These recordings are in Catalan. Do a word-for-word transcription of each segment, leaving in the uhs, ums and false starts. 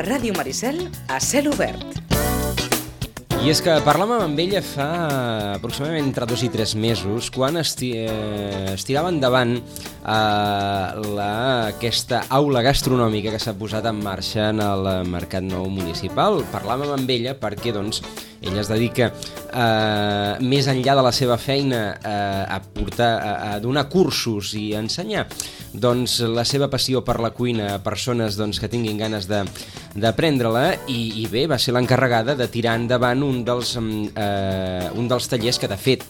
Ràdio Maricel, a cel obert. I és que parlàvem amb ella fa aproximadament entre dos i tres mesos, quan esti eh, estirava endavant eh, la, aquesta aula gastronòmica que s'ha posat en marxa en el Mercat Nou Municipal. Parlàvem amb ella perquè doncs, ella es dedica, eh, més enllà de la seva feina, eh, a, portar, a, a donar cursos i a ensenyar doncs, la seva passió per la cuina a persones doncs, que tinguin ganes de d'aprendre-la i, i bé, va ser l'encarregada de tirar endavant un dels, eh, un dels tallers que de fet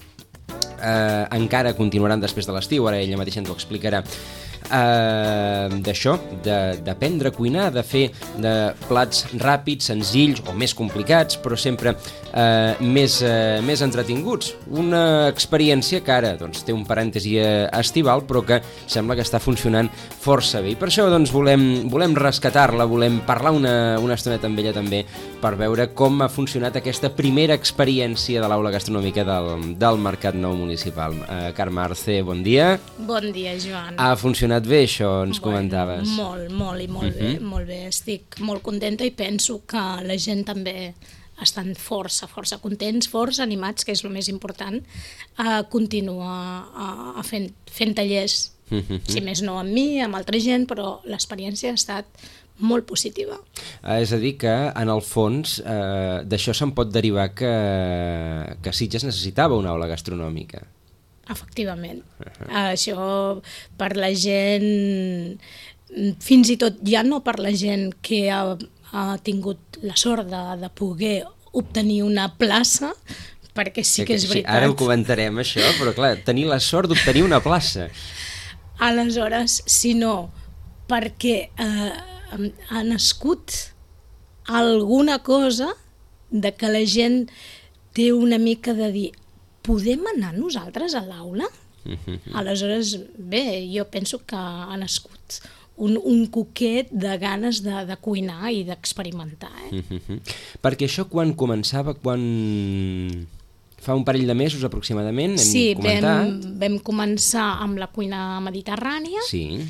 eh, encara continuaran després de l'estiu, ara ella mateixa ens ho explicarà, eh, d'això, d'aprendre a cuinar, de fer de plats ràpids, senzills o més complicats, però sempre eh, més, eh, més entretinguts. Una experiència que ara doncs, té un parèntesi estival, però que sembla que està funcionant força bé. I per això doncs, volem, volem rescatar-la, volem parlar una, una estoneta amb ella també, per veure com ha funcionat aquesta primera experiència de l'aula gastronòmica del, del Mercat Nou Municipal. Eh, Carme Arce, bon dia. Bon dia, Joan. Ha funcionat bé, això, ens bueno, comentaves. Molt, molt i molt uh-huh. bé, molt bé. Estic molt contenta i penso que la gent també estan força, força contents, força animats, que és el més important, a continuar a, a fent, fent tallers, uh-huh. si més no amb mi, amb altra gent, però l'experiència ha estat molt positiva. Eh, és a dir que, en el fons, eh, d'això se'n pot derivar que, que Sitges necessitava una aula gastronòmica. Efectivament. Uh-huh. Això per la gent, fins i tot ja no per la gent que ha, ha tingut la sort de, de poder obtenir una plaça, perquè sí que és veritat. Ara ho comentarem, això, però clar, tenir la sort d'obtenir una plaça. Aleshores, si no, perquè eh, ha nascut alguna cosa de que la gent té una mica de dir podem anar nosaltres a l'aula? Uh-huh. Aleshores, bé, jo penso que ha nascut un, un coquet de ganes de, de cuinar i d'experimentar. Eh? Uh-huh. Perquè això quan començava, quan fa un parell de mesos aproximadament, hem sí, comentat... vam, vam començar amb la cuina mediterrània, sí.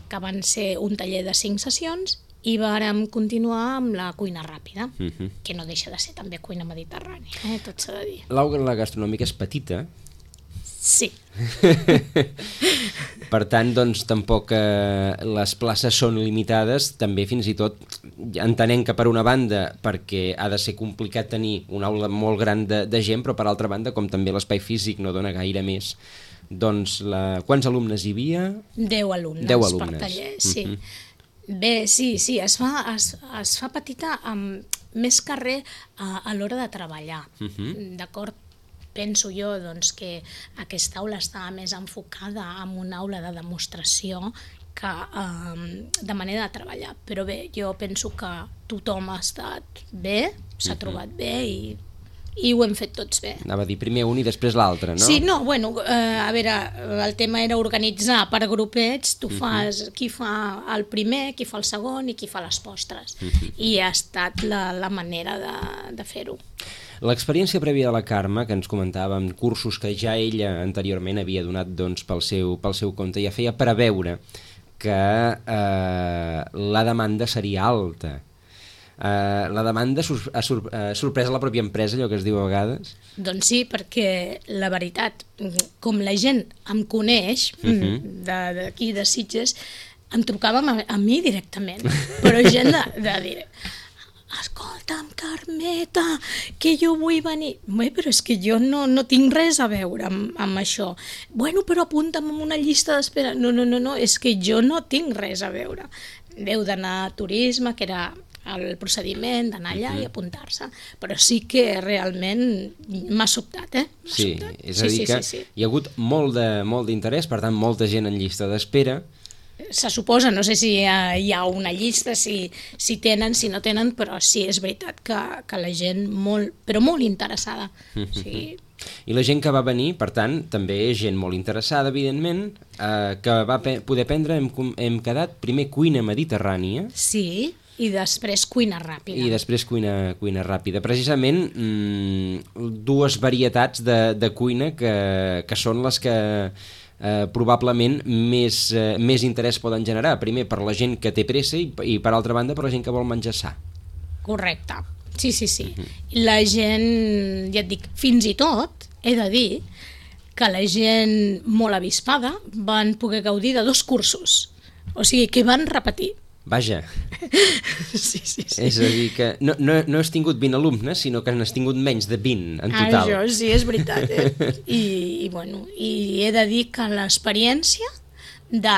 que van ser un taller de cinc sessions, i vàrem continuar amb la cuina ràpida, uh-huh. que no deixa de ser també cuina mediterrània, eh? Tot s'ha de dir. L'aula gastronòmica és petita. Sí. Per tant, doncs, tampoc eh, les places són limitades, també fins i tot entenem que per una banda, perquè ha de ser complicat tenir una aula molt gran de, de gent, però per altra banda, com també l'espai físic no dona gaire més, doncs, la... quants alumnes hi havia? Deu alumnes, Deu alumnes. per taller, sí. Uh-huh. Bé, sí, sí, es fa, es, es fa petita amb més carrer a, a l'hora de treballar, uh-huh. d'acord? Penso jo doncs, que aquesta aula està més enfocada en una aula de demostració que um, de manera de treballar, però bé, jo penso que tothom ha estat bé, s'ha uh-huh. trobat bé i i ho hem fet tots bé. Anava a dir primer un i després l'altre, no? Sí, no, bueno, eh, a veure, el tema era organitzar per grupets, tu fas, uh-huh. qui fa el primer, qui fa el segon i qui fa les postres, uh-huh. i ha estat la, la manera de, de fer-ho. L'experiència prèvia de la Carme, que ens comentava amb cursos que ja ella anteriorment havia donat doncs, pel, seu, pel seu compte, ja feia preveure que eh, la demanda seria alta. Uh, la demanda ha sur uh, sorprès la pròpia empresa, allò que es diu a vegades? Doncs sí, perquè la veritat, com la gent em coneix, uh-huh. d'aquí de, de Sitges, em trucàvem a, a mi directament, però gent de, de dir escolta'm, Carmeta, que jo vull venir. Bé, però és que jo no, no tinc res a veure amb, amb això. Bueno, però apunta'm en una llista d'espera. No, no, no, no, és que jo no tinc res a veure. Deu d'anar a turisme, que era el procediment d'anar allà uh-huh. i apuntar-se, però sí que realment m'ha sobtat, eh? Sí, sobtat. és a dir sí, que sí, sí, sí. hi ha hagut molt de, molt d'interès, per tant, molta gent en llista d'espera. Se suposa, no sé si hi ha, hi ha una llista, si, si tenen, si no tenen, però sí, és veritat que, que la gent molt, però molt interessada. Uh-huh. Sí. I la gent que va venir, per tant, també és gent molt interessada, evidentment, eh, que va poder aprendre, hem, hem quedat primer cuina mediterrània. Sí, i després cuina ràpida. I després cuina, cuina ràpida. Precisament mmm, dues varietats de, de cuina que, que són les que eh, probablement més, eh, més interès poden generar. Primer per la gent que té pressa i, i per altra banda per la gent que vol menjar sa. Correcte, sí, sí, sí. Uh-huh. La gent, ja et dic, fins i tot, he de dir, que la gent molt avispada van poder gaudir de dos cursos. O sigui, que van repetir. Vaja. Sí, sí, sí. És a dir, que no, no, no has tingut vint alumnes, sinó que n'has tingut menys de vint en total. Això sí, és veritat. Eh? I, i, bueno, I he de dir que l'experiència de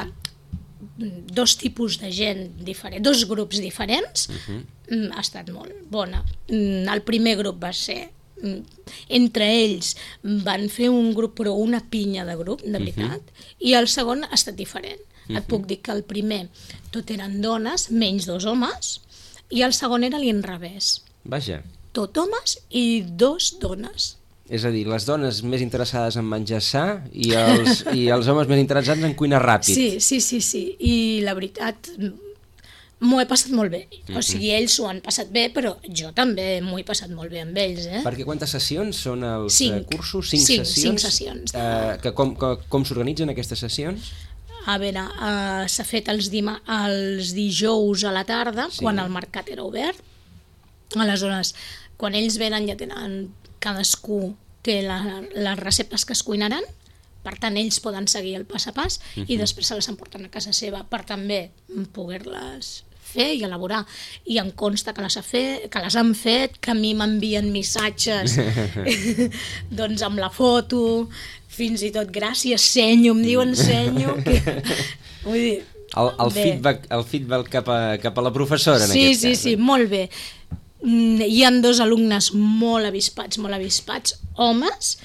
dos tipus de gent diferents, dos grups diferents, uh-huh. ha estat molt bona. El primer grup va ser... entre ells van fer un grup, però una pinya de grup, de veritat, uh-huh. i el segon ha estat diferent. Uh-huh. Et puc dir que el primer tot eren dones, menys dos homes, i el segon era l'inrevés. Vaja. Tot homes i dos dones. És a dir, les dones més interessades en menjar sa i els, i els homes més interessats en cuinar ràpid. Sí, sí, sí, sí. I la veritat... m'ho he passat molt bé, mm-hmm. o sigui, ells s'ho han passat bé, però jo també m'ho he passat molt bé amb ells, eh? Perquè quantes sessions són els cinc. cursos? Cinc, cinc sessions? Cinc sessions. Uh, que com com, com s'organitzen aquestes sessions? A veure, uh, s'ha fet els, dima els dijous a la tarda, sí. quan el mercat era obert. Aleshores, quan ells venen ja tenen, cadascú té la, les receptes que es cuinaran, per tant, ells poden seguir el pas a pas uh-huh. i després se les emporten a casa seva per també poder-les fer i elaborar. I em consta que les, ha fet, que les han fet, que a mi m'envien missatges doncs amb la foto, fins i tot gràcies, senyo, em diuen senyo. Que... Vull dir, el, el, feedback, el feedback cap a, cap a la professora, en sí, aquest sí, cas. Sí, sí, molt bé. Hi ha dos alumnes molt avispats, molt avispats, homes,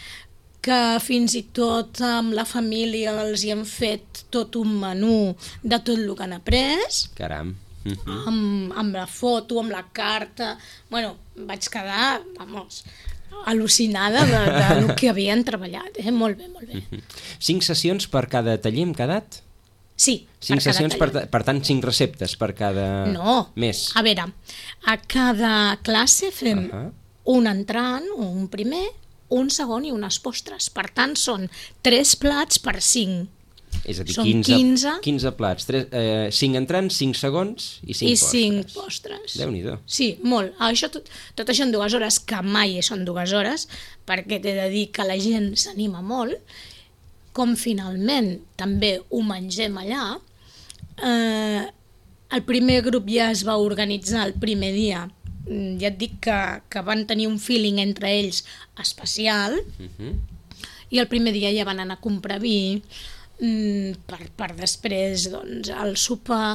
que fins i tot amb la família els hi han fet tot un menú de tot el que han après. Caram. Uh-huh. amb, amb la foto, amb la carta... Bueno, vaig quedar, vamos, al·lucinada de, de lo que havien treballat. Eh? Molt bé, molt bé. Uh-huh. Cinc sessions per cada taller hem quedat? Sí, cinc per sessions, per, per tant, cinc receptes per cada no. mes. A veure, a cada classe fem uh-huh. un entrant, un primer, un segon i unes postres. Per tant, són tres plats per cinc. És a dir, són quinze, quinze, quinze plats, tres, eh, cinc entrants, cinc segons i cinc i postres. cinc postres. Déu-n'hi-do. Sí, molt. Això, tot, tot això en dues hores, que mai són dues hores, perquè t'he de dir que la gent s'anima molt. Com finalment també ho mengem allà, eh, el primer grup ja es va organitzar el primer dia. Ja et dic que, que van tenir un feeling entre ells especial, uh-huh. i el primer dia ja van anar a comprar vi, Per, per després doncs, el sopar,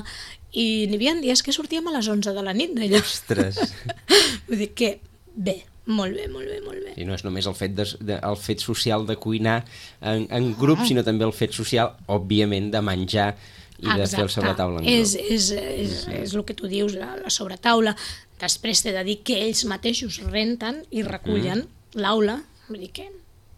i n'hi havia dies que sortíem a les onze de la nit d'allò. Ostres! Vull dir que bé, molt bé, molt bé, molt bé. I no és només el fet, de, de, el fet social de cuinar en, en grup, ah. sinó també el fet social, òbviament, de menjar i Exacte. De fer el sobretaula en grup. És, és, és, és, és el que tu dius, la, la sobretaula. Després t'he de dir que ells mateixos renten i recullen mm. l'aula, vull dir que...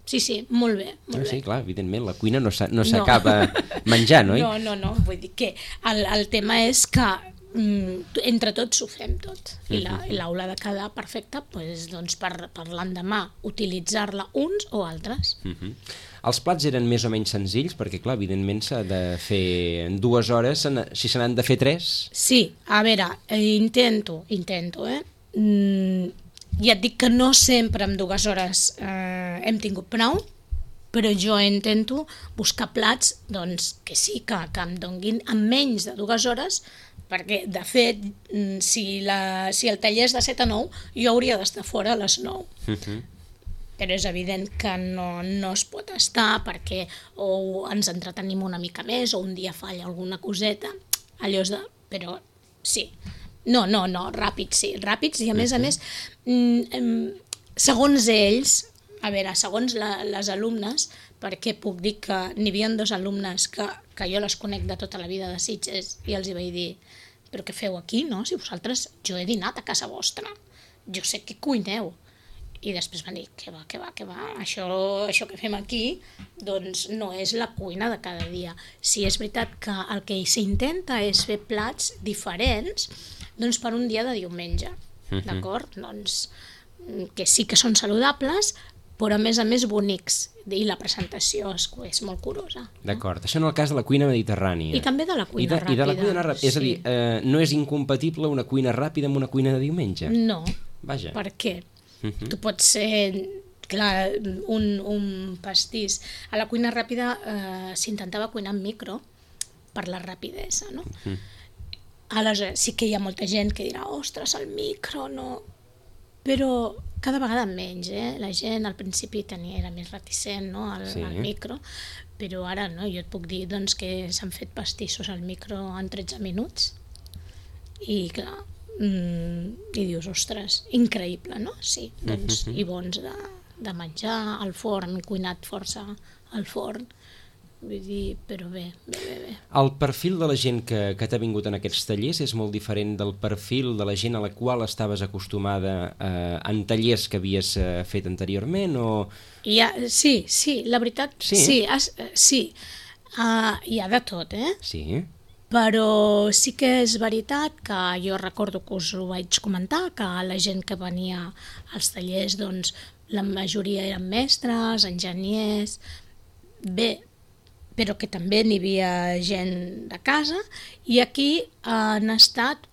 Sí, sí, molt bé. Molt no, sí, bé. clar, evidentment, la cuina no s'acaba no. menjant, oi? No, no, no, vull dir que el, el tema és que mm, entre tots ho fem tot, i l'aula de quedar perfecta pues, doncs per, per l'endemà utilitzar-la uns o altres. Uh-huh. Els plats eren més o menys senzills, perquè clar, evidentment s'ha de fer en dues hores, si se n'han de fer tres... Sí, a veure, intento, intento, eh? Mm, ja et dic que no sempre en dues hores eh, hem tingut prou, però jo intento buscar plats doncs, que sí, que, que em donguin en menys de dues hores, perquè, de fet, si, la, si el taller és de set a nou, jo hauria d'estar fora a les nou. Uh-huh. Però és evident que no, no es pot estar perquè o ens entretenim una mica més o un dia falla alguna coseta, allò és de... però sí. No, no, no, ràpids, sí, ràpids, i a més a més, segons ells, a veure, segons la, les alumnes, perquè puc dir que n'hi havia dos alumnes que, que jo les conec de tota la vida de Sitges, i els hi vaig dir, però què feu aquí, no? Si vosaltres, jo he dinat a casa vostra, jo sé que cuineu. I després van dir, que va, que va, que va, això, això que fem aquí doncs no és la cuina de cada dia. Sí, és veritat que el que s'intenta és fer plats diferents doncs per un dia de diumenge, uh-huh. d'acord? Doncs que sí que són saludables, però a més a més bonics, i la presentació és, és molt curosa. D'acord, això en el cas de la cuina mediterrània. I també de la cuina I de, ràpida. I de la cuina ràpida, és a dir, sí. eh, no és incompatible una cuina ràpida amb una cuina de diumenge? No, Vaja. per què? Uh -huh. Tu pots ser, clar, un, un pastís. A la cuina ràpida eh, s'intentava cuinar en micro per la rapidesa, no? Uh -huh. Aleshores, sí que hi ha molta gent que dirà, ostres, el micro, no... Però cada vegada menys, eh? La gent al principi tenia, era més reticent, no?, al, sí. al micro, però ara, no?, jo et puc dir, doncs, que s'han fet pastissos al micro en tretze minuts i, clar, mm, i dius, ostres, increïble, no? Sí, doncs, uh-huh. i bons de, de menjar, al forn, cuinat força al forn, vull dir, però bé, bé, bé, bé. El perfil de la gent que, que t'ha vingut en aquests tallers és molt diferent del perfil de la gent a la qual estaves acostumada eh, en tallers que havies eh, fet anteriorment, o...? Hi ha, sí, sí, la veritat, sí, sí, has, sí. Uh, hi ha de tot, eh? Sí. Però sí que és veritat que jo recordo que us ho vaig comentar, que la gent que venia als tallers, doncs, la majoria eren mestres, enginyers, bé, però que també n'hi havia gent de casa, i aquí han estat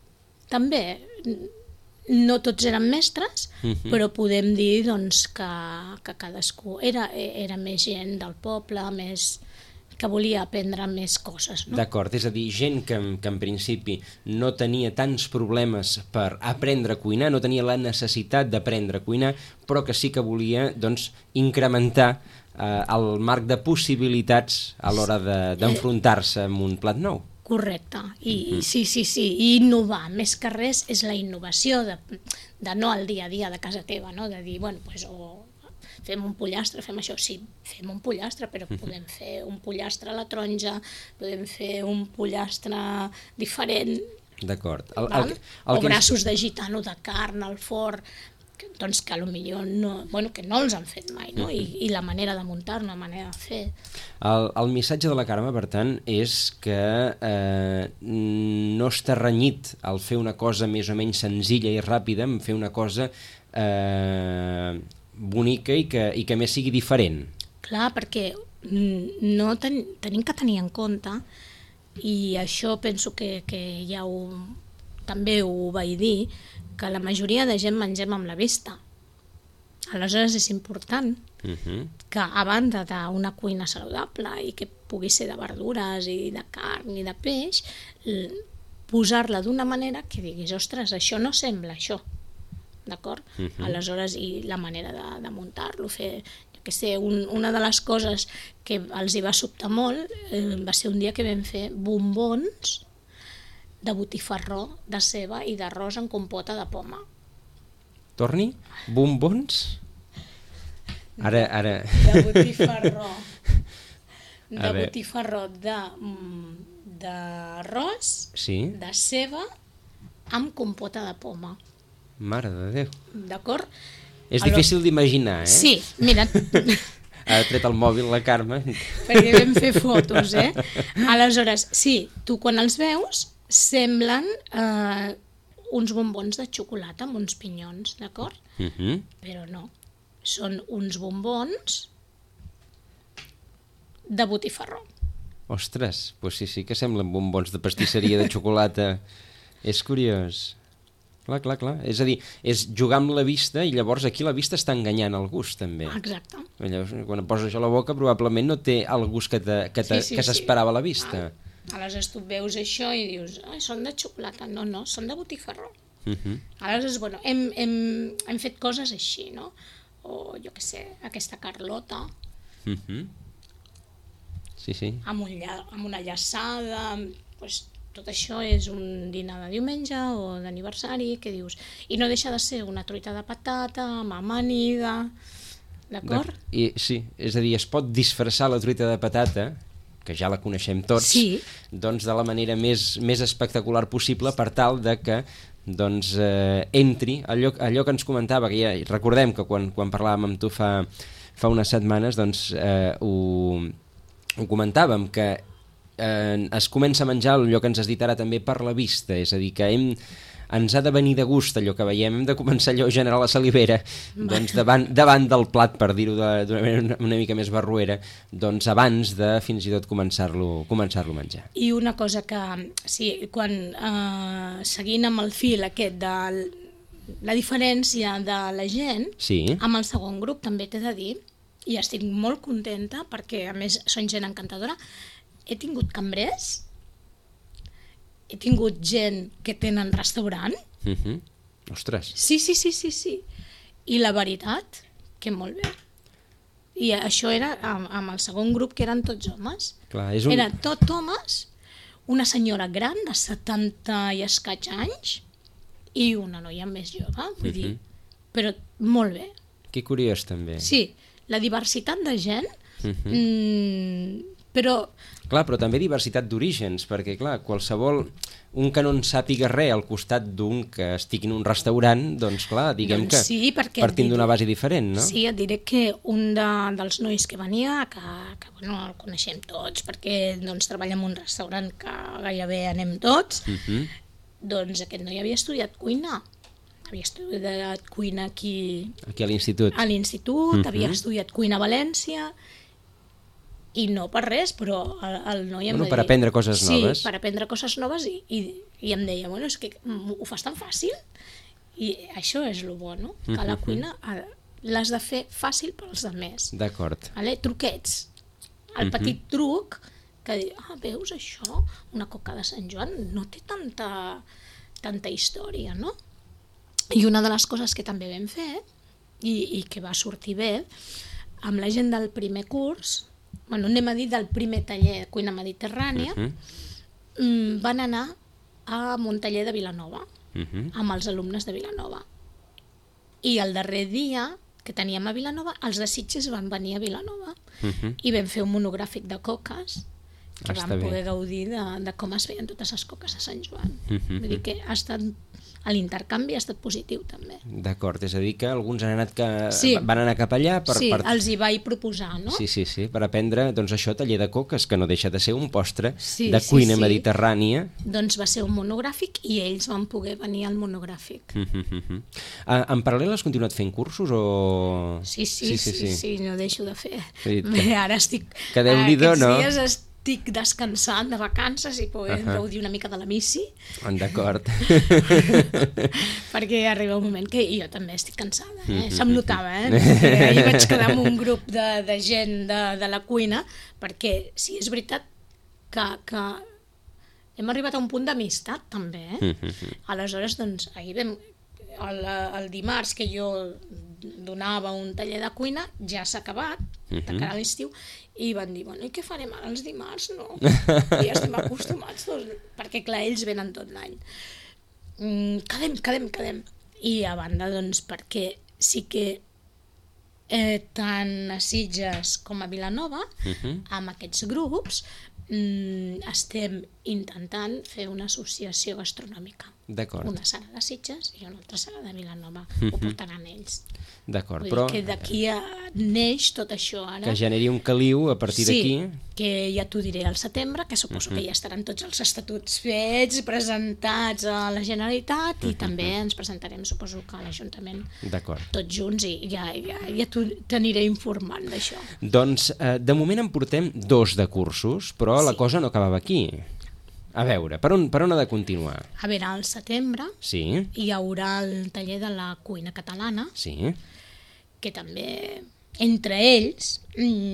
també, no tots eren mestres, uh-huh. però podem dir doncs, que, que cadascú era, era més gent del poble, més que volia aprendre més coses. No? D'acord, és a dir, gent que, que en principi no tenia tants problemes per aprendre a cuinar, no tenia la necessitat d'aprendre a cuinar, però que sí que volia doncs, incrementar eh, el marc de possibilitats a l'hora de, d'enfrontar-se amb un plat nou. Correcte, i mm-hmm. sí, sí, sí, i innovar, més que res és la innovació de, de no al dia a dia de casa teva, no? De dir, bueno, pues, o fem un pollastre, fem això, sí, fem un pollastre, però podem fer un pollastre a la taronja, podem fer un pollastre diferent, d'acord. El, el, el o braços ens... de gitano de carn al forn, doncs que potser no, bueno, que no els han fet mai, no? I, i la manera de muntar, la manera de fer. El, el missatge de la Carme, per tant, és que eh, no està renyit al fer una cosa més o menys senzilla i ràpida, en fer una cosa eh, bonica i que, i que més sigui diferent. Clar, perquè no ten, tenim que tenir en compte, i això penso que, que ja ho, també ho vaig dir, que la majoria de gent mengem amb la vista. Aleshores és important uh-huh. que a banda d'una cuina saludable i que pugui ser de verdures i de carn i de peix, posar-la d'una manera que diguis, ostres, això no sembla això, d'acord? Uh-huh. Aleshores, i la manera de, de muntar-lo, fer, jo què sé, un, una de les coses que els hi va sobtar molt eh, va ser un dia que vam fer bombons de botifarró, de ceba i d'arròs en compota de poma. Torni? Bombons? Ara, ara... De botifarró. De botifarró d'arròs, sí? De ceba, amb compota de poma. Mare de Déu. D'acord? És Alò... difícil d'imaginar, eh? Sí, mira... Ha tret el mòbil la Carme. Perquè vam fer fotos, eh? Aleshores, sí, tu quan els veus semblen eh, uns bombons de xocolata amb uns pinyons, d'acord? Uh-huh. Però no, són uns bombons de botifarró. Ostres, doncs sí, sí que semblen bombons de pastisseria de xocolata. És curiós. Clar, clar, clar. És a dir, és jugar amb la vista i llavors aquí la vista està enganyant el gust, també. Exacte. Llavors, quan poses això a la boca probablement no té el gust que, te, que, te, sí, sí, que s'esperava sí. a la vista. Ah. Aleshores tu veus això i dius, ah, són de xocolata. No, no, són de botifarró. Uh-huh. Aleshores, bueno, hem, hem, hem fet coses així, no? O, jo què sé, aquesta carlota. Uh-huh. Sí, sí. Amb, un lla, amb una llaçada, pues, tot això és un dinar de diumenge o d'aniversari, que dius... I no deixa de ser una truita de patata amb amanida, d'acord? I, sí, és a dir, es pot disfressar la truita de patata, que ja la coneixem tots, sí. doncs de la manera més, més espectacular possible per tal de que doncs, eh, entri allò, allò que ens comentava, que ja recordem que quan, quan parlàvem amb tu fa, fa unes setmanes, doncs eh, ho, ho comentàvem, que eh, es comença a menjar allò que ens has dit ara també per la vista, és a dir, que hem, ens ha de venir de gust allò que veiem, hem de començar allò a generar la salivera, doncs davant, davant del plat, per dir-ho d'una manera una, una mica més barruera, doncs abans de fins i tot començar-lo començar-lo a menjar. I una cosa que, sí, quan eh, seguint amb el fil aquest de la diferència de la gent, sí. amb el segon grup també t'he de dir, i estic molt contenta perquè a més són gent encantadora, he tingut cambrers, he tingut gent que tenen restaurant. Uh-huh. Ostres. Sí, sí, sí, sí, sí. I la veritat, que molt bé. I això era amb, amb el segon grup, que eren tots homes. Clar, és un... Eren tot homes, una senyora gran de setanta i escaig anys i una noia més jove, vull uh-huh. dir, però molt bé. Que curiós, també. Sí, la diversitat de gent, uh-huh. mmm, però... Clar, però també diversitat d'orígens, perquè, clar, qualsevol... Un que no en sàpiga res al costat d'un que estigui en un restaurant, doncs, clar, diguem doncs sí, que partim diré, d'una base diferent, no? Sí, et diré que un de, dels nois que venia, que, que bueno, el coneixem tots, perquè doncs, treballa en un restaurant que gairebé anem tots, uh-huh. doncs aquest noi havia estudiat cuina. Havia estudiat cuina aquí... Aquí a l'institut. A l'institut, uh-huh. havia estudiat cuina a València, i no per res, però el, el noi em bueno, va per dir... aprendre coses sí, noves. Sí, per aprendre coses noves i, i, i em deia, bueno, és que ho fas tan fàcil i això és el bo, no? Que la cuina l'has de fer fàcil pels altres. D'acord. Vale? Truquets. El petit truc que diu, ah, veus això? Una coca de Sant Joan no té tanta, tanta història, no? I una de les coses que també vam fer i, i que va sortir bé amb la gent del primer curs, bueno, anem a dir del primer taller de cuina mediterrània, uh-huh. van anar a un taller de Vilanova, uh-huh. amb els alumnes de Vilanova. I el darrer dia que teníem a Vilanova, els de Sitges van venir a Vilanova uh-huh. i vam fer un monogràfic de coques que Està vam bé. poder gaudir de, de com es feien totes les coques a Sant Joan. Uh-huh. Vull dir que ha estat... l'intercanvi ha estat positiu també. D'acord, és a dir que alguns han anat que... sí. van anar cap allà per... Sí, per... els hi vaig proposar, no? Sí, sí, sí, per aprendre, doncs això, taller de coques, que no deixa de ser un postre sí, de sí, cuina sí. mediterrània. Doncs va ser un monogràfic i ells van poder venir al monogràfic. Uh -huh, uh -huh. Uh, en paral·lel has continuat fent cursos o...? Sí, sí, sí, sí, sí, sí no deixo de fer. Sí, Bé, ara estic... Que Déu-n'hi-do, aquests no? dies estic descansant de vacances i podem uh -huh. gaudir una mica de la missi. D'acord. Perquè arriba un moment que jo també estic cansada, eh? Se'm notava, eh? Ahir vaig quedar amb un grup de, de gent de, de la cuina, perquè sí, és veritat que, que hem arribat a un punt d'amistat, també, eh? Aleshores, doncs, ahir vam... El, el dimarts que jo donava un taller de cuina ja s'ha acabat, de cara a l'estiu, i van dir, bueno, i què farem ara els dimarts? No, i ja estem acostumats tots, perquè clar, ells venen tot l'any. Mm, quedem, quedem, quedem. I a banda, doncs, perquè sí que eh, tant a Sitges com a Vilanova, uh-huh. amb aquests grups, mm, estem intentant fer una associació gastronòmica. D'acord. Una serà de Sitges i una altra serà de Vilanova. Uh-huh. Ho portaran ells. D'acord, Vull però... dir que d'aquí neix tot això ara. Que generi un caliu a partir sí, d'aquí. Sí, que ja t'ho diré al setembre, que suposo uh-huh. que ja estaran tots els estatuts fets, presentats a la Generalitat, uh-huh. i també ens presentarem, suposo que a l'Ajuntament, tots junts, i ja, ja, ja t'aniré informant d'això. Doncs, eh, de moment en portem dos de cursos, però sí. la cosa no acabava aquí. A veure, per on, per on ha de continuar? A veure, al setembre sí. hi haurà el taller de la cuina catalana, sí. que també entre ells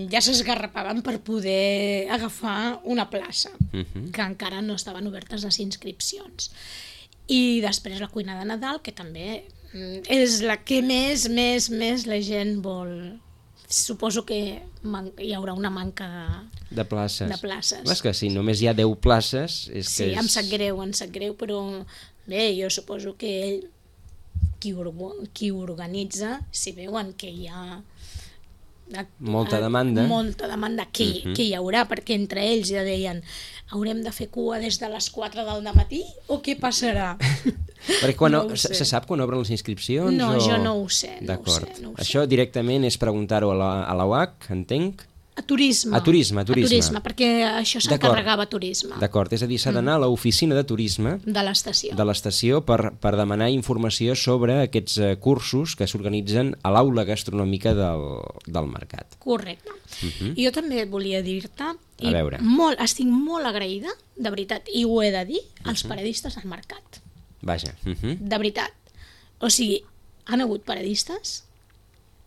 ja s'esgarrapaven per poder agafar una plaça, uh-huh. que encara no estaven obertes les inscripcions. I després la cuina de Nadal, que també és la que més, més, més la gent vol... Suposo que hi haurà una manca de places. De places. És que si només hi ha deu places... És sí, que és... em sap greu, em sap greu, però bé, jo suposo que ell, qui, qui organitza, si veuen que hi ha... Molta demanda. Molta demanda, que, uh-huh. que hi haurà, perquè entre ells ja deien haurem de fer cua des de les quatre del dematí o què passarà? Perquè quan no se, se sap quan obren les inscripcions? No, o... jo no ho sé. No D'acord. ho sé, no ho Això sé. Directament és preguntar-ho a la, a la U A C, entenc? A turisme. A turisme, a turisme. A turisme, perquè això s'encarregava a turisme. D'acord, és a dir, s'ha d'anar a l'oficina de turisme de l'estació de l'estació per, per demanar informació sobre aquests eh, cursos que s'organitzen a l'aula gastronòmica del, del mercat. Correcte. Uh -huh. I jo també volia dir-te, i a veure. Molt, estic molt agraïda, de veritat, i ho he de dir, als uh -huh. paradistes al mercat. Vaja. Uh -huh. De veritat. O sigui, han hagut paradistes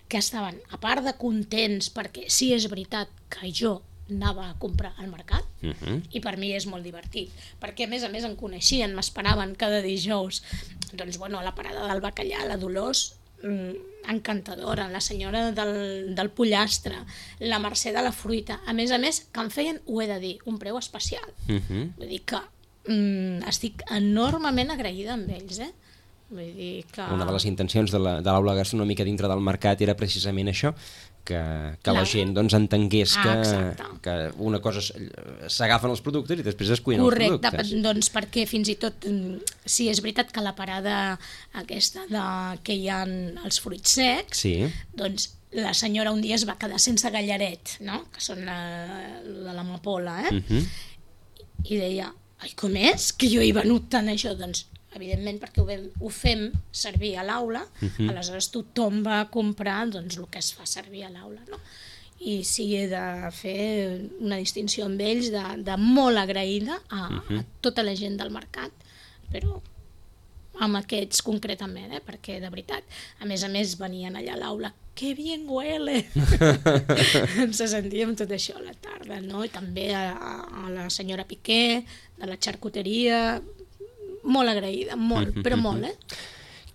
que estaven, a part de contents, perquè sí és veritat que jo anava a comprar al mercat, uh -huh. i per mi és molt divertit, perquè a més a més em coneixien, m'esperaven cada dijous, doncs bueno, a la parada del bacallà, la Dolors, mmm, encantadora, la senyora del, del pollastre, la Mercè de la fruita, a més a més que em feien, ho he de dir, un preu especial. Uh -huh. Vull dir que mmm, estic enormement agraïda amb ells, eh? Vull dir que... Una de les intencions de l'aula gastronòmica dintre del mercat era precisament això, que, que la gent doncs, entengués que, ah, que una cosa s'agafen els productes i després es cuinen Correcte, els productes. Correcte, doncs perquè fins i tot, sí, és veritat que la parada aquesta de, que hi ha els fruits secs, sí. doncs la senyora un dia es va quedar sense gallaret, no? Que són la, de l'amapola, eh? Uh-huh. I deia, ai, com és? Que jo he venut tant això, doncs evidentment perquè ho, vam, ho fem servir a l'aula, uh-huh. aleshores tothom va comprar doncs, el que es fa servir a l'aula, no? I sí, he de fer una distinció amb ells de, de molt agraïda a, uh-huh. a tota la gent del mercat, però amb aquests concretament, eh? Perquè de veritat, a més a més venien allà a l'aula, que bien huele! Ens sentíem tot això a la tarda, no? I també a, a la senyora Piqué, de la xarcuteria, molt agraïda, molt, però molt, eh?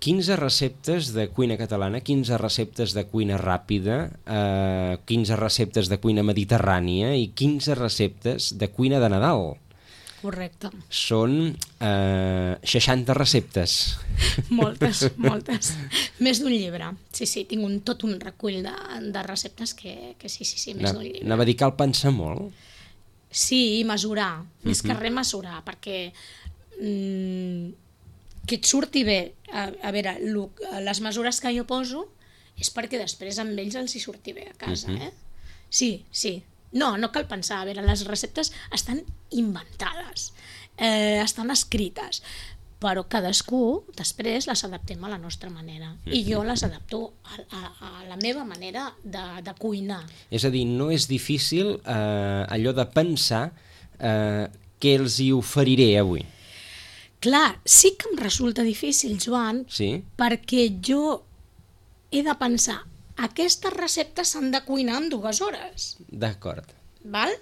quinze receptes de cuina catalana, quinze receptes de cuina ràpida, eh, quinze receptes de cuina mediterrània i quinze receptes de cuina de Nadal. Correcte. Són eh, seixanta receptes. Moltes, moltes. Més d'un llibre. Sí, sí, tinc un, tot un recull de, de receptes que, que sí, sí, sí, més d'un llibre. Anava a dir cal pensar molt. Sí, i mesurar. Uh-huh. Més que res mesurar, perquè que et surti bé. A, a veure, lo, les mesures que jo poso és perquè després amb ells els hi surti bé a casa, uh-huh. eh? Sí, sí. No, no cal pensar. A veure, les receptes estan inventades, eh, estan escrites, però cadascú després les adaptem a la nostra manera. Uh-huh. I jo les adapto a, a, a la meva manera de, de cuinar. És a dir, no és difícil eh, allò de pensar eh, què els hi oferiré avui. Clar, sí que em resulta difícil, Joan, sí? perquè jo he de pensar, aquestes receptes s'han de cuinar en dues hores. D'acord. Val?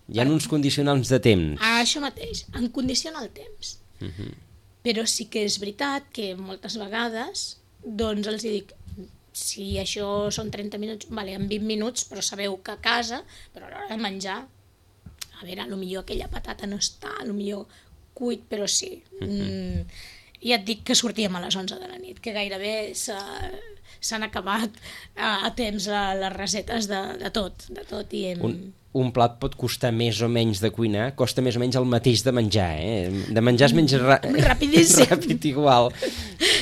Hi ha uns condicionals de temps. Ah, això mateix, en condiciona el temps. Uh-huh. Però sí que és veritat que moltes vegades doncs els dic, si això són trenta minuts, vale, en vint minuts, però sabeu que a casa, però a l'hora de menjar, a veure, potser aquella patata no està, potser cuit, però sí. Mm, ja et dic que sortíem a les onze de la nit, que gairebé s'han acabat a, a temps a les resetes de, de tot. De tot i hem... un, un plat pot costar més o menys de cuinar, costa més o menys el mateix de menjar, eh? De menjar es menja ra... rapidíssim. Ràpid igual.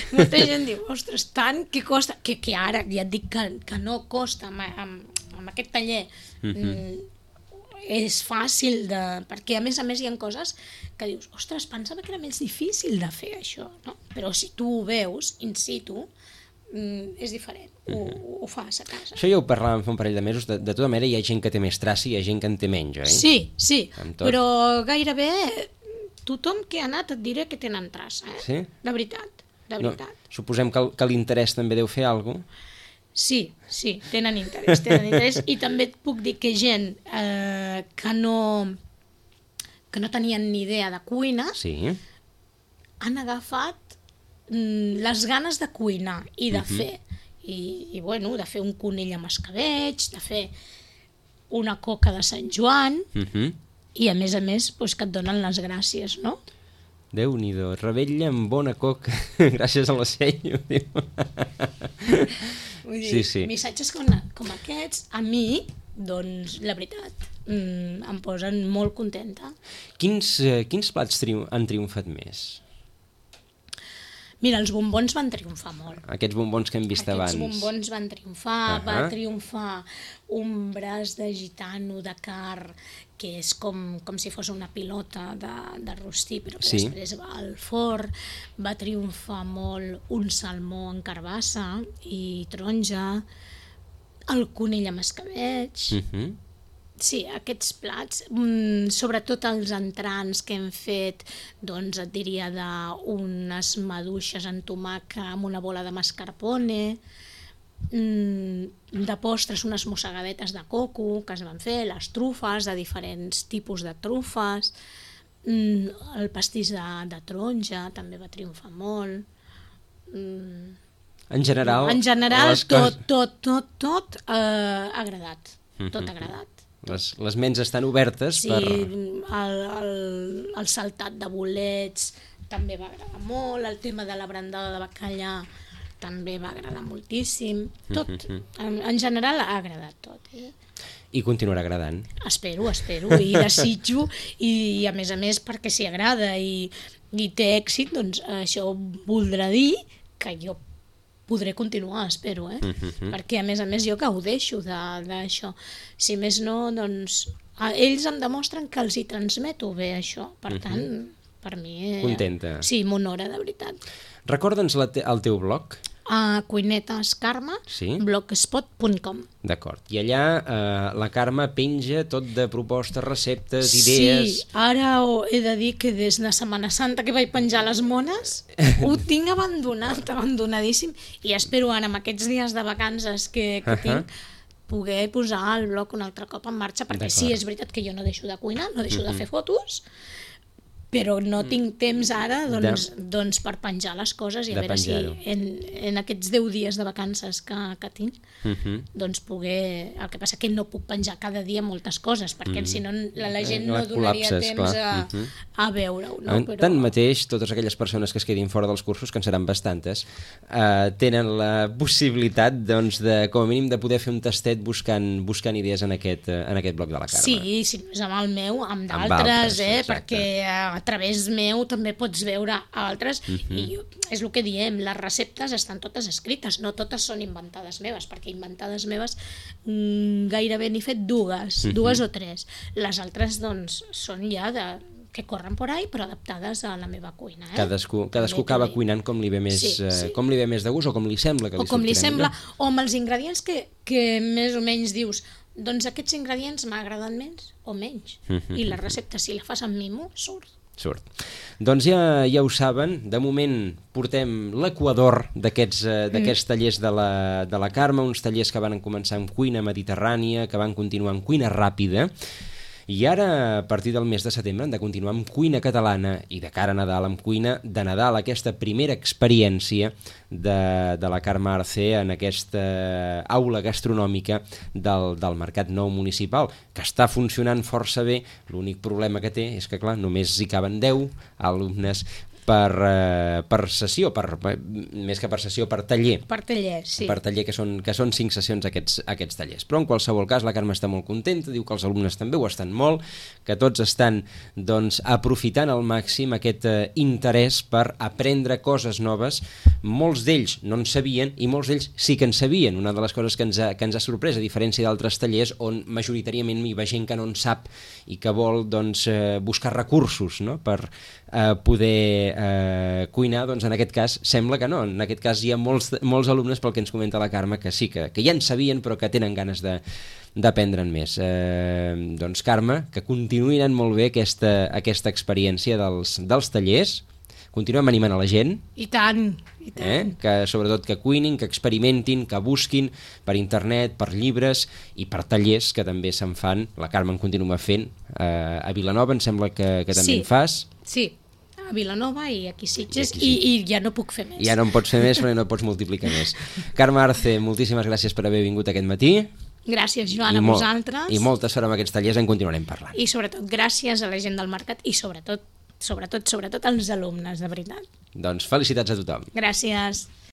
Molta gent diu, ostres, tant que costa, que, que ara ja et dic que, que no costa amb, amb, amb aquest taller. Mm-hmm. És fàcil, de, perquè a més a més hi ha coses que dius, ostres, pensava que era més difícil de fer això, no? Però si tu ho veus in situ, mm, és diferent, ho, ho fas a casa. Això ja ho parlàvem fa un parell de mesos, de, de tota manera hi ha gent que té més traça i hi ha gent que en té menys, oi? Sí, sí, però gairebé tothom que ha anat et diré que tenen traça, eh? Sí? De veritat, de veritat. No, suposem que, que l'interès també deu fer alguna cosa? Sí, sí, tenen interès, tenen interès, i també et puc dir que gent eh, que no que no tenien ni idea de cuina, sí, han agafat mm, les ganes de cuinar i de uh-huh. fer, i, i bueno, de fer un conill amb escabeig, de fer una coca de Sant Joan, uh-huh. i a més a més pues, que et donen les gràcies, no? Déu-n'hi-do, rebella amb bona coca, gràcies a la seny, ho diu. Vull dir, sí, sí. missatges com, com aquests, a mi, doncs, la veritat, mm, em posen molt contenta. Quins, eh, quins plats triu han triomfat més? Mira, els bombons van triomfar molt. Aquests bombons que hem vist Aquests abans. Aquests bombons van triomfar, uh -huh. va triomfar un braç de gitano de car, que és com, com si fos una pilota de, de rostí, però que sí. després va al forn. Va triomfar molt un salmó en carbassa i taronja, el conill amb escabeig. Uh -huh. Sí, aquests plats, mm, sobretot els entrants que hem fet, doncs et diria d'unes maduixes en tomàquet amb una bola de mascarpone, mm, de postres unes mossegadetes de coco que es van fer, les trufes de diferents tipus de trufes, mm, el pastís de, de taronja també va triomfar molt. Mm, en general, en general tot, tot, tot, tot eh, ha agradat, tot ha agradat. Les, les ments estan obertes sí, per... Sí, el, el, el saltat de bolets també va agradar molt, el tema de la brandada de bacallà també va agradar moltíssim, tot, en, en general ha agradat tot. Eh? I continuarà agradant. Espero, espero, i desitjo, i, i a més a més perquè si agrada i, i té èxit, doncs això voldrà dir que jo podré continuar, espero, eh? Uh-huh. Perquè a més a més jo gaudeixo d'això. Si més no, doncs ells em demostren que els hi transmeto bé això, per uh-huh. tant, per mi... Eh, contenta. Sí, m'honora, de veritat. Recorda'ns te el teu blog. A Cuinetes Carme, sí? blogspot punt com. D'acord. I allà eh, la Carme penja tot de propostes, receptes, idees... Sí, ara he de dir que des de Setmana Santa que vaig penjar les mones ho tinc abandonat, abandonadíssim, i espero ara amb aquests dies de vacances que, que uh-huh. tinc poder posar el blog un altre cop en marxa, perquè sí, és veritat que jo no deixo de cuinar, no deixo uh-huh. de fer fotos, però no tinc temps ara doncs, de... doncs per penjar les coses i a veure si en, en aquests deu dies de vacances que, que tinc uh-huh. doncs poder... El que passa que no puc penjar cada dia moltes coses perquè uh-huh. si no la, la gent no donaria temps a, uh-huh. a veure-ho. No? Però... Tanmateix, totes aquelles persones que es quedin fora dels cursos, que en seran bastantes, eh, tenen la possibilitat doncs, de, com a mínim de poder fer un tastet buscant, buscant idees en aquest, en aquest bloc de la Carme. Sí, si no és amb el meu, amb d'altres, eh, perquè a través meu també pots veure altres uh-huh. i és el que diem, les receptes estan totes escrites, no totes són inventades meves, perquè inventades meves mmm, gairebé n'he fet dues, uh-huh. dues o tres. Les altres doncs són ja de que corren por ahí, però adaptades a la meva cuina. Eh? Cadascú, cadascú acaba cuinant com li ve més, sí, sí. com li ve més de gust o com li sembla que li o com li sembla, millor. O amb els ingredients que, que més o menys dius doncs aquests ingredients m'agraden més o menys. Uh-huh. I la recepta, si la fas amb mimo, surt. Surt. Doncs ja, ja ho saben, de moment portem l'equador d'aquests eh, d'aquests tallers de la, de la Carme, uns tallers que van començar amb cuina mediterrània, que van continuar amb cuina ràpida, i ara, a partir del mes de setembre, han de continuar amb cuina catalana i de cara a Nadal, amb cuina de Nadal, aquesta primera experiència de, de la Carme Arce en aquesta aula gastronòmica del, del Mercat Nou Municipal, que està funcionant força bé. L'únic problema que té és que, clar, només hi caben deu alumnes per, eh, per sessió, per, més que per sessió, per taller. Per taller, sí. Per taller, que són, que són cinc sessions aquests, aquests tallers. Però en qualsevol cas la Carme està molt contenta, diu que els alumnes també ho estan molt, que tots estan doncs, aprofitant al màxim aquest eh, interès per aprendre coses noves. Molts d'ells no en sabien i molts d'ells sí que en sabien. Una de les coses que ens ha, que ens ha sorprès, a diferència d'altres tallers on majoritàriament hi va gent que no en sap i que vol doncs, eh, buscar recursos, no? per eh, poder eh, cuinar, doncs en aquest cas sembla que no. En aquest cas hi ha molts, molts alumnes, pel que ens comenta la Carme, que sí, que, que ja en sabien però que tenen ganes de d'aprendre'n més. Eh, doncs Carme, que continuï anant molt bé aquesta, aquesta experiència dels, dels tallers. Continuem animant a la gent. I tant, i tant. Eh? Que sobretot que cuinin, que experimentin, que busquin per internet, per llibres i per tallers que també se'n fan. La Carme en continua fent. Eh, a Vilanova em sembla que, que també sí, en fas. Sí, a Vilanova i aquí Sitges, I, aquí, i, i ja no puc fer més. Ja no en pots fer més, però no pots multiplicar més. Carme Arce, moltíssimes gràcies per haver vingut aquest matí. Gràcies, Joan, a vosaltres. I molta sort amb aquests tallers, en continuarem parlant. I sobretot gràcies a la gent del mercat i sobretot, sobretot, sobretot als alumnes, de veritat. Doncs felicitats a tothom. Gràcies.